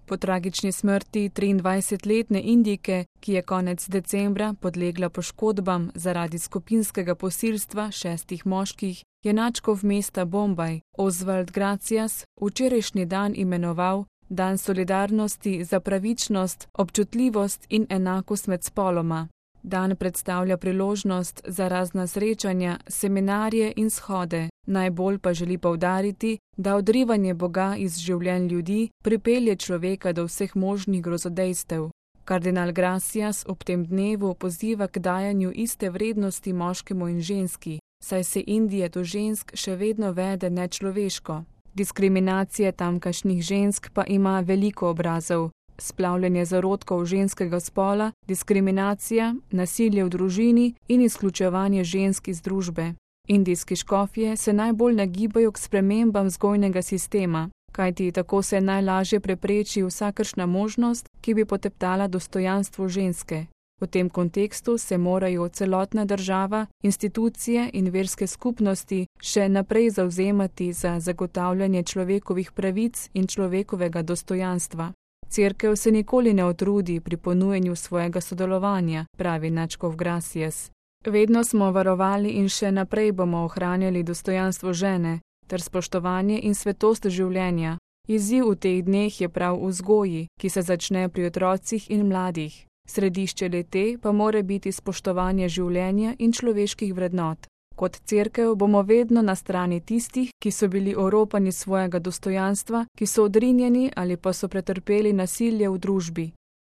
Po tragični smrti 23-letne Indijke, ki je konec decembra podlegla poškodbam zaradi skupinskega posilstva 6 moških, je nadškof mesta Bombaj Oswald Gracias včerajšnji dan imenoval Dan solidarnosti za pravičnost, občutljivost in enakost med spoloma. Dan predstavlja priložnost za razna srečanja, seminarje in shode, najbolj pa želi poudariti, da odrivanje Boga iz življenj ljudi pripelje človeka do vseh možnih grozodejstev. Kardinal Gracias ob tem dnevu poziva k dajanju iste vrednosti moškemu in ženski, saj se Indija do žensk še vedno vede nečloveško. Diskriminacija tamkajšnjih žensk pa ima veliko obrazov. Splavljanje zarodkov ženskega spola, diskriminacija, nasilje v družini in izključevanje žensk iz družbe. Indijski škofje se najbolj nagibajo k spremembam vzgojnega sistema, kajti tako se najlažje prepreči vsakršna možnost, ki bi poteptala dostojanstvo ženske. V tem kontekstu se morajo celotna država, institucije in verske skupnosti še naprej zavzemati za zagotavljanje človekovih pravic in človekovega dostojanstva. Cerkev se nikoli ne utrudi pri ponujanju svojega sodelovanja, pravi nadškof Gracias. Vedno smo varovali in še naprej bomo ohranjali dostojanstvo žene ter spoštovanje in svetost življenja. Izziv v teh dneh je prav v vzgoji, ki se začne pri otrocih in mladih. Središče le-te pa mora biti spoštovanje življenja in človeških vrednot. Kot cerkev bomo vedno na strani tistih, ki so bili oropani svojega dostojanstva, ki so odrinjeni ali pa so pretrpeli nasilje v družbi.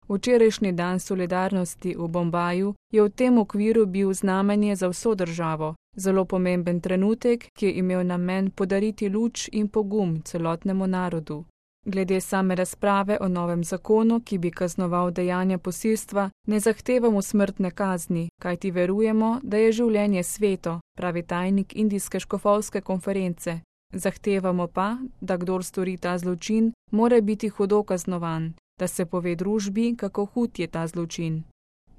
Včerajšnji dan solidarnosti v Bombaju je v tem okviru bil znamenje za vso državo, zelo pomemben trenutek, ki je imel namen podariti luč in pogum celotnemu narodu. Glede same razprave o novem zakonu, ki bi kaznoval dejanja posilstva, ne zahtevamo smrtne kazni, kajti verujemo, da je življenje sveto, pravi tajnik Indijske škofovske konference. Zahtevamo pa, da kdor stori ta zločin, mora biti hudo kaznovan, da se pove družbi, kako hud je ta zločin.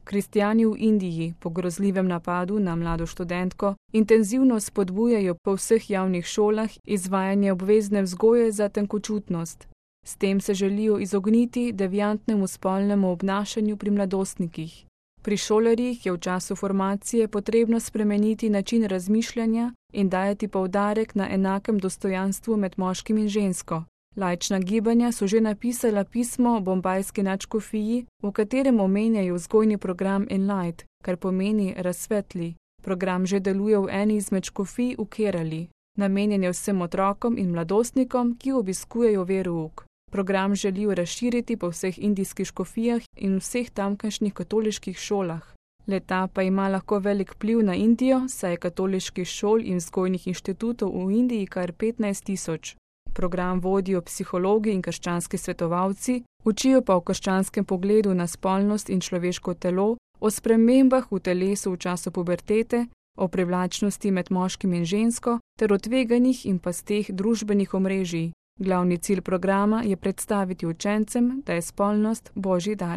Kristjani v Indiji po grozljivem napadu na mlado študentko intenzivno spodbujajo po vseh javnih šolah izvajanje obvezne vzgoje za tenkočutnost. S tem se želijo izogniti deviantnemu spolnemu obnašanju pri mladostnikih. Pri šolarjih je v času formacije potrebno spremeniti način razmišljanja in dajati poudarek na enakem dostojanstvu med moškim in žensko. Laična gibanja so že napisala pismo bombajski nadškofiji, v katerem omenjajo vzgojni program Enlight, kar pomeni razsvetli. Program že deluje v eni izmed škofij v Kerali. Namenjen je vsem otrokom in mladostnikom, ki obiskujejo verouk. Program želijo razširiti po vseh indijskih škofijah in vseh tamkajšnjih katoliških šolah. Le-ta pa ima lahko velik vpliv na Indijo, saj je katoliških šol in vzgojnih inštitutov v Indiji kar 15 000. Program vodijo psihologi in krščanski svetovalci, učijo pa o krščanskem pogledu na spolnost in človeško telo, o spremembah v telesu v času pubertete, o privlačnosti med moškim in žensko ter o tveganjih in pasteh družbenih omrežij. Glavni cilj programa je predstaviti učencem, da je spolnost Božji dar.